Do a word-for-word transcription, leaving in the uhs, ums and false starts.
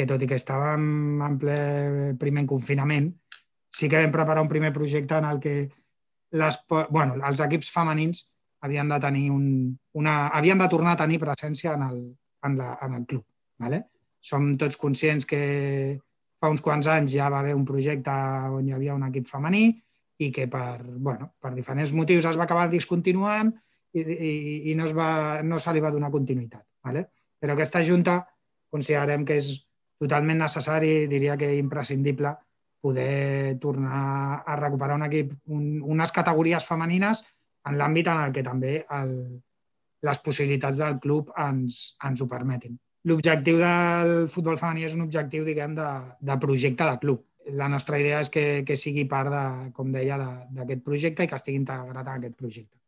que tot i que estàvem en ple primer confinament, sí que vam preparar un primer projecte en el que les, bueno, els equips femenins havien de tenir un, una, havien de tornar a tenir presència en el, en la, en el club. ¿Vale? Som tots conscients que fa uns quants anys ja va haver un projecte on hi havia un equip femení i que per, bueno, per diferents motius es va acabar discontinuant i, i, i no, es va, no se li va donar continuïtat. ¿Vale? Però aquesta junta considerem que és totalment necessari, diria que imprescindible, poder tornar a recuperar un equip, un, unes categories femenines en l'àmbit en el que també el, les possibilitats del club ens, ens ho permetin. L'objectiu del futbol femení és un objectiu, diguem, de, de projecte de club. La nostra idea és que, que sigui part, de, com deia, d'aquest projecte i que estigui integrat en aquest projecte.